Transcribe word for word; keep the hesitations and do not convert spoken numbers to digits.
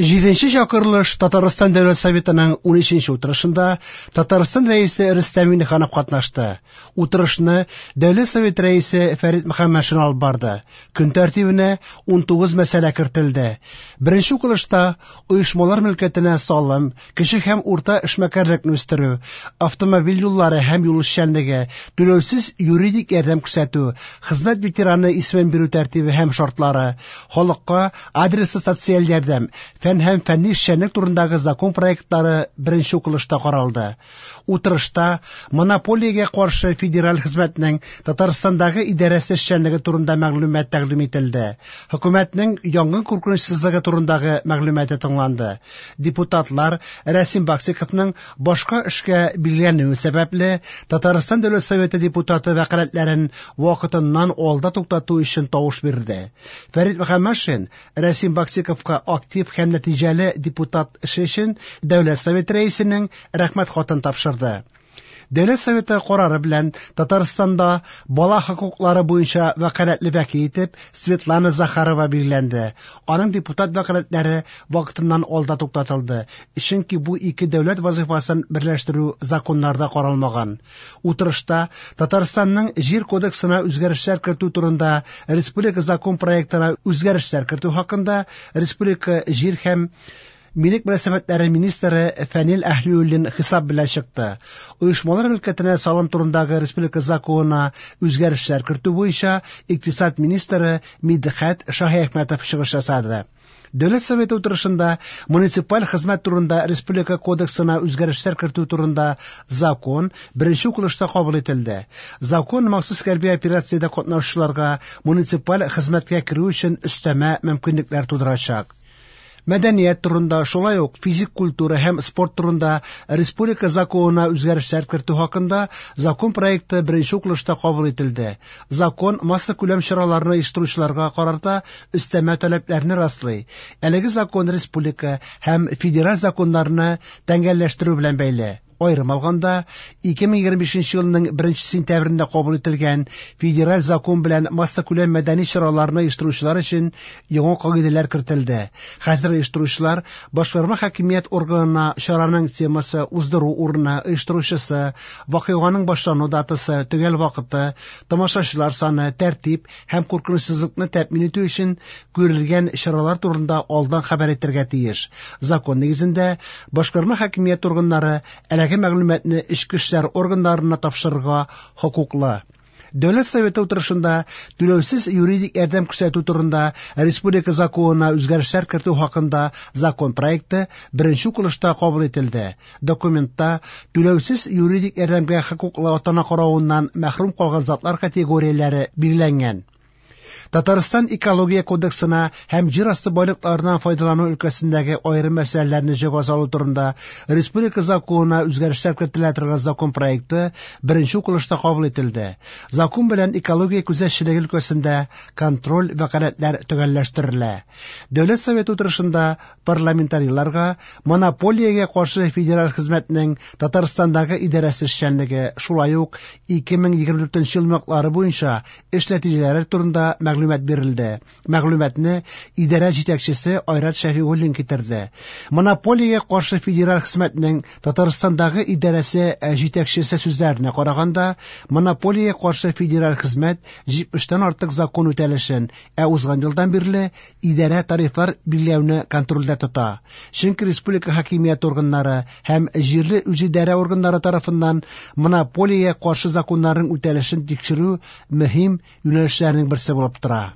Җиденче чакырылыш Татарстан Дәүләт Советының унөченче утырышында Татарстан Рәисе Рөстәм Миңнеханов катнашты. Утырышны Дәүләт Советы Рәисе Фәрит Мөхәммәтшин алып барды. Көн тәртибенә унтугыз мәсьәлә кертелде. Беренче укылышта оешмалар мөлкәтенә салым, кече һәм урта эшмәкәрлекне үстерү, автомобиль юллары һәм юл эшчәнлеге, түләүсез юридик ярдәм күрсәтү, хезмәт ветераны исемен бирү тәртибе һәм шартлары, халыкка адреслы социаль ярдәм, фән һәм фәнни эшчәнлек турындагы закон проектлары беренче укылышта каралды. Утырышта монополиягә каршы федераль хезмәтнең Татарстандагы идарәсе эшчәнлеге турында мәгълүмат тәкъдим ителде. Хөкүмәтнең янгын куркынычсызлыгы турындагы мәгълүматы тыңланды. Депутатлар Рәсим Баксиковның башка эшкә билгеләнүе сәбәпле Татарстан Дәүләт Советы депутаты вәкаләтләрен вакытыннан алда туктату өчен тавыш бирде. Фәрит Мөхәммәтшин Рәсим Баксиковка актив һәм нәтиҗәле депутат эше өчен Дәүләт Советы рәисенең рәхмәт хатын тапшырды. Дәүләт Советы карары белән Татарстанда бала хокуклары буенча вәкаләтле вәкил итеп Светлана Захарова билгеләнде. Аның депутат вәкаләтләре вакытыннан алда туктатылды, чөнки бу ике дәүләт вазифасын берләштерү законнарда каралмаган. Утырышта Татарстанның Җир кодексына үзгәрешләр кертү турында республика закон проектына үзгәрешләр кертү хакында республика җир һәм милек мөнәсәбәтләре министры Фәнил Әһлиуллин хисап белән чыкты. Оешмалар мөлкәтенә салым турындагы республика законына үзгәрешләр кертү буенча икътисад министры Мидхәт Шаһиәхмәтов чыгыш ясады. Дәүләт Советы утырышында муниципаль хезмәт турында республика кодексына үзгәрешләр кертү турында закон беренче укылышта кабул ителде. Закон махсус хәрби операциядә катнашучыларга муниципаль хезмәткә керү өчен өстәмә мөмкинлекләр тудырачак. Мәдәният турында, шулай ук физик культура һәм спорт турында республика законына үзгәрешләр кертү хакында закон проекты беренче укылышта кабул ителде. Закон массакүләм чараларны оештыручыларга карата өстәмә таләпләрне раслый. Әлеге закон республика һәм федераль законнарны тәңгәлләштерү белән бәйле. Аерым алганда, ике мең егерме бишенче елның беренче сентябрендә кабул ителгән федераль закон белән массакүләм мәдәни чараларны оештыручылар өчен яңа кагыйдәләр кертелде. Хәзер оештыручылар башкарма хакимият органына чараның темасы, уздыру урыны, оештыручысы, вакыйганың башлану датасы, төгәл вакыты, тамашачылар саны, тәртип һәм куркынычсызлыкны тәэмин итү өчен күрелгән чаралар турында алдан хәбәр итәргә тиеш. Закон нигезендә башкарма хакимият органнары әлеге мәгълүматны эчке эшләр органнарына тапшырырга хокуклы. Дәүләт Советы утырышында түләүсез юридик ярдәм күрсәтү турында республика законына үзгәрешләр кертү хакында закон проекты беренче укылышта кабул ителде. Документта түләүсез юридик ярдәмгә хокуклы ата-ана каравыннан мәхрүм калган затлар категорияләре билгеләнгән. Татарстан Экология кодексына һәм җир асты байлыкларыннан файдалану өлкәсендәге аерым мәсьәләләрне җайга салу турында республика законына үзгәрешләр кертелә торган закон проекты беренче укылышта кабул ителде. Закон белән экология күзәтчелеге өлкәсендә контроль вәкаләтләр төгәлләштерелә. Дәүләт Советы утырышында парламентарийларга монополиягә каршы федераль хезмәтнең Татарстандагы идарәсе эшчәнлеге, шулай ук ике мең егерме дүртенче ел йомгаклары буенча эш нәтиҗәләре турында мәгълүмат бирелде. Мәгълүматны идарә җитәкчесе Айрат Шәфигуллин китерде. Монополиягә каршы федераль хезмәтнең Татарстандагы идарәсе җитәкчесе сүзләренә караганда, монополиягә каршы федераль хезмәт җитмештән артык закон үтәлешен, ә узган елдан бирле идарә тарифлар билгеләүне контрольдә тота. Чөнки республика хакимият органнары һәм җирле үзидарә органнары тарафыннан монополиягә каршы законнарның үтәлешен тикшерү мөһим юнәлешләрнең берсе булып тора.